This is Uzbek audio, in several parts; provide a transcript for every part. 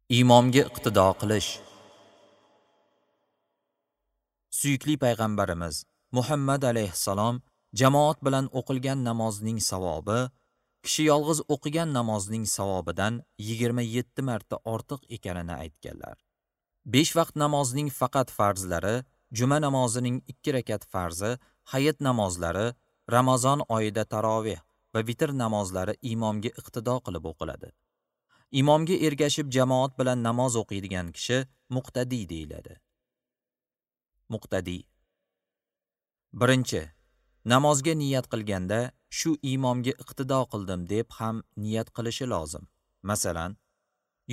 Imomga iqtido qilish. Suyukli payg'ambarimiz Muhammad alayhissalom jamoat bilan o'qilgan namozning savobi kishi yolg'iz o'qigan namozning savobidan 27 marta ortiq ekanini aytganlar. 5 vaqt namozning faqat farzlari, juma namozining 2 rakat farzi, hayit namozlari, Ramazon oyida taroveh va vitr namozlari imomga iqtido qilib o'qiladi. Imomga ergashib jamoat bilan namoz o'qiydigan kishi muqtadiy deyiladi. Muqtadiy. 1. Namozga niyat qilganda shu imomga iqtido qildim deb ham niyat qilishi lozim. Masalan,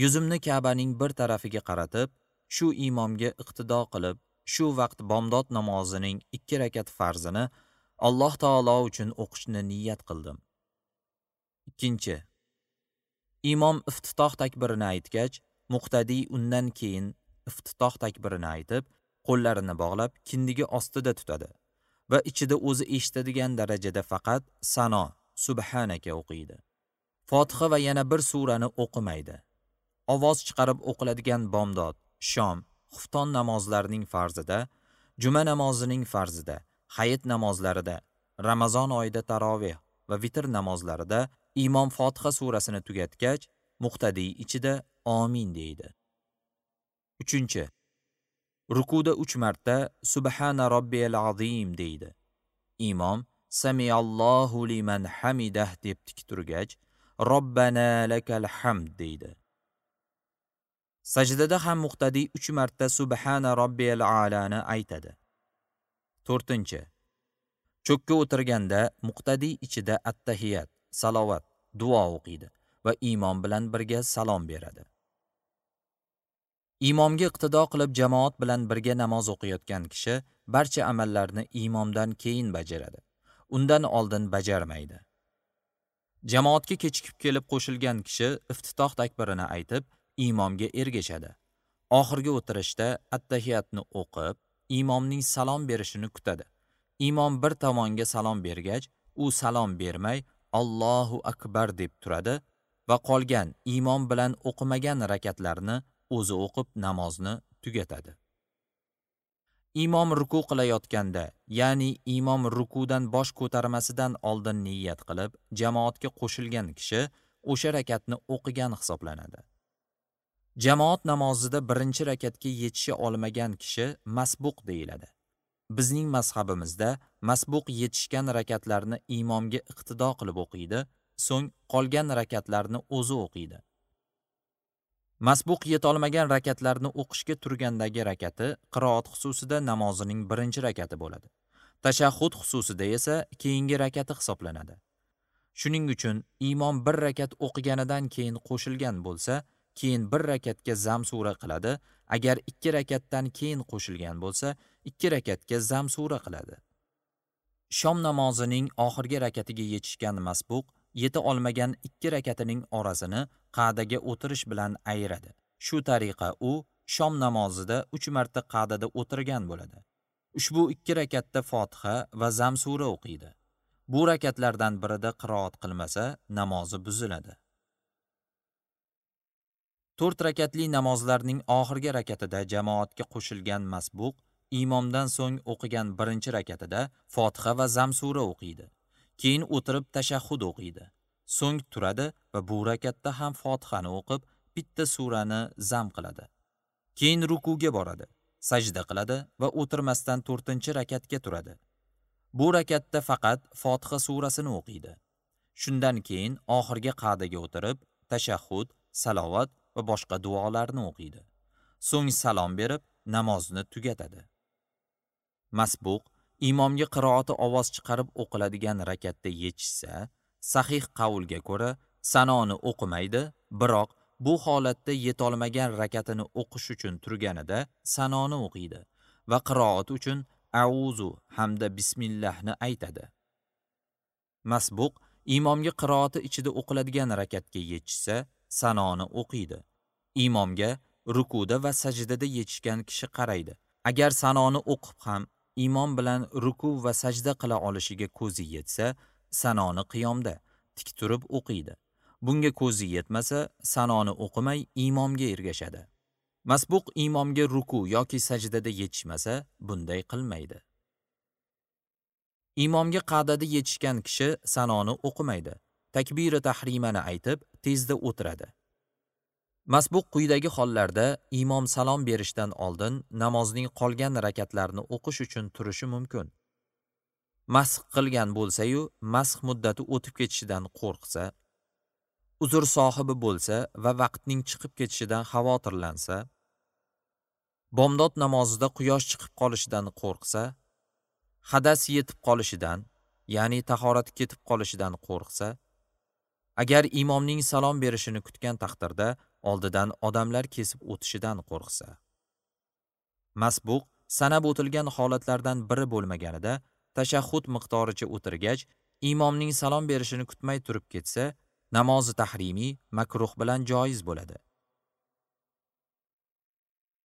yuzimni Ka'baning bir tarafiga qaratib, shu imomga iqtido qilib, shu vaqt bomdod namozining 2 rakat farzini Alloh taolo uchun o'qishni niyat qildim. 2. Imom iftitoh takbirini aytgach, muqtadiy undan keyin iftitoh takbirini aytib, qo'llarini bog'lab kindigi ostida tutadi va ichida o'zi eshitadigan darajada faqat sano, subhanaka o'qiydi. Fotiha va yana bir surani o'qimaydi. Ovoz chiqarib o'qiladigan bomdod, shom, xufton namozlarining farzida, juma namozining farzida, hayit namozlarida, Ramazon oyida taroveh va vitr namozlarida imom Fotiha surasini tugatgach, muqtadiy ichida amin deydi. 3. Rukuda 3 marta Subhana robbiyal azim deydi. Imom Samiallohu liman hamidah deb tik turgach, Robbana lakal hamd deydi. Sajdada ham muqtadiy 3 marta Subhana robbiyal alani aytadi. 4. Cho'kka o'tirganda muqtadiy ichida attahiyat, salovat, duo o'qiydi va imom bilan birga salom beradi. Imomga iqtido qilib jamoat bilan birga namoz o'qiyotgan kishi barcha amallarni imomdan keyin bajaradi. Undan oldin bajarmaydi. Jamoatga kechikib kelib qo'shilgan kishi iftitoh takbirini aytib, imomga ergashadi. Oxirgi o'tirishda attahiyatni o'qib, imomning salom berishini kutadi. Imom bir tomonga salom bergach, u salom bermay Allohu akbar deb turadi va qolgan imom bilan o'qimagan rakatlarni o'zi o'qib namozni tugatadi. Imom ruku qilayotganda, ya'ni imom rukudan bosh ko'tarmasidan oldin niyat qilib, jamoatga qo'shilgan kishi o'sha rakatni o'qigan hisoblanadi. Jamoat namozida birinchi rakatga yetisha olmagan kishi masbuq deyiladi. Bizning mazhabimizda masbuq yetishgan rakatlarni imomga iqtido qilib o'qiydi, so'ng qolgan rakatlarni o'zi o'qiydi. Masbuq yetolmagan rakatlarni o'qishga turgandagi rakati qiroat xususida namozining birinchi rakati bo'ladi. Tashahhud xususida esa keyingi rakati hisoblanadi. Shuning uchun imom bir rakat o'qiganidan keyin qo'shilgan bo'lsa, keyin bir rakatga zam sura qiladi. Agar 2 rakatdan keyin qo'shilgan bo'lsa, 2 rakatga zam sura qiladi. Shom namozining oxirgi rakatiga yetishgan masbuq yeta olmagan 2 rakatining orasini qa'daga o'tirish bilan ayiradi. Shu tariqa u shom namozida 3 marta qa'dada o'tirgan bo'ladi. Ushbu 2 rakatda Fotiha va zam sura o'qiydi. Bu rakatlardan birida qiroat qilmasa, namozi buziladi. 4 rakatli namozlarning oxirgi rakatida jamoatga qo'shilgan masbuq imomdan so'ng o'qigan birinchi rakatida Fotiha va zam sura o'qiydi. Keyin o'tirib tashahhud o'qiydi. So'ng turadi va bu rakatda ham Fotihani o'qib, bitta surani zam qiladi. Keyin rukuga boradi, sajda qiladi va o'tirmasdan 4-rakatga turadi. Bu rakatda faqat Fotiha surasini o'qiydi. Shundan keyin oxirgi qa'daga o'tirib, tashahhud, salovat va boshqa duolarni o'qiydi. So'ng salom berib, namozni tugatadi. Masbuq imomga qiroati ovoz chiqarib o'qiladigan rakatda yetishsa, sahih qavlga ko'ra sanoni o'qimaydi, biroq bu holatda yetolmagan rakatini o'qish uchun turganida sanoni o'qiydi va qiroat uchun auzu hamda bismillahni aytadi. Masbuq imomga qiroati ichida o'qiladigan rakatga yetishsa, sanoni o'qiydi. Imomga rukuda va sajdada yetishgan kishi qaraydi. Agar sanoni o'qib ham imom bilan ruku va sajda qila olishiga ko'zi yetsa, sanoni qiyomda tik turib o'qiydi. Bunga ko'zi yetmasa, sanoni o'qimay imomga ergashadi. Masbuq imomga ruku yoki sajdada yetishmasa, bunday qilmaydi. Imomga qa'dada yetishgan kishi sanoni o'qimaydi. Takbiri tahrimani aytib, tezda o'tiradi. Masbuq quyidagi hollarda imom salom berishdan oldin namozning qolgan rakatlarini o'qish uchun turishi mumkin. Masx qilgan bo'lsa-yu, masx muddati o'tib ketishidan qo'rqsa, uzr sohibi bo'lsa va vaqtning chiqib ketishidan xavotirlansa, bomdod namozida quyosh chiqib qolishidan qo'rqsa, hadas yetib qolishidan, ya'ni tahorat ketib qolishidan qo'rqsa, agar imomning salom berishini kutgan taqdirda oldidan odamlar kesib o'tishidan qo'rqsa. Masbuq sanab o'tilgan holatlardan biri bo'lmaganida tashahhud miqdoricha o'tirgach, imomning salom berishini kutmay turib ketsa, namozi tahrimiy makruh bilan joiz bo'ladi.